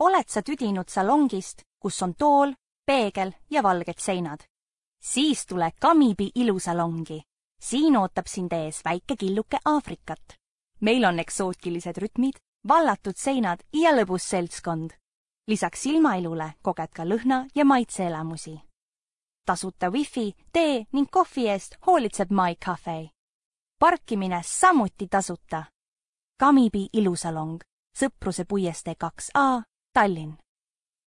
oled sa tüdinud salongist, kus on tool, peegel ja valged seinad? Siis tule Kamibi ilusalongi. Siin ootab sind ees väike killuke Aafrikat. Meil on eksootilised rütmid, vallatud seinad ja lõbus seltskond. Lisaks ilmailule koged ka lõhna- ja maitseelamusi. Tasuta wifi, tee ning kohvi eest hoolitseb My Cafe. Parkimine samuti tasuta. Kamibi ilusalong, Sõpruse puiestee 2A, Tallinn.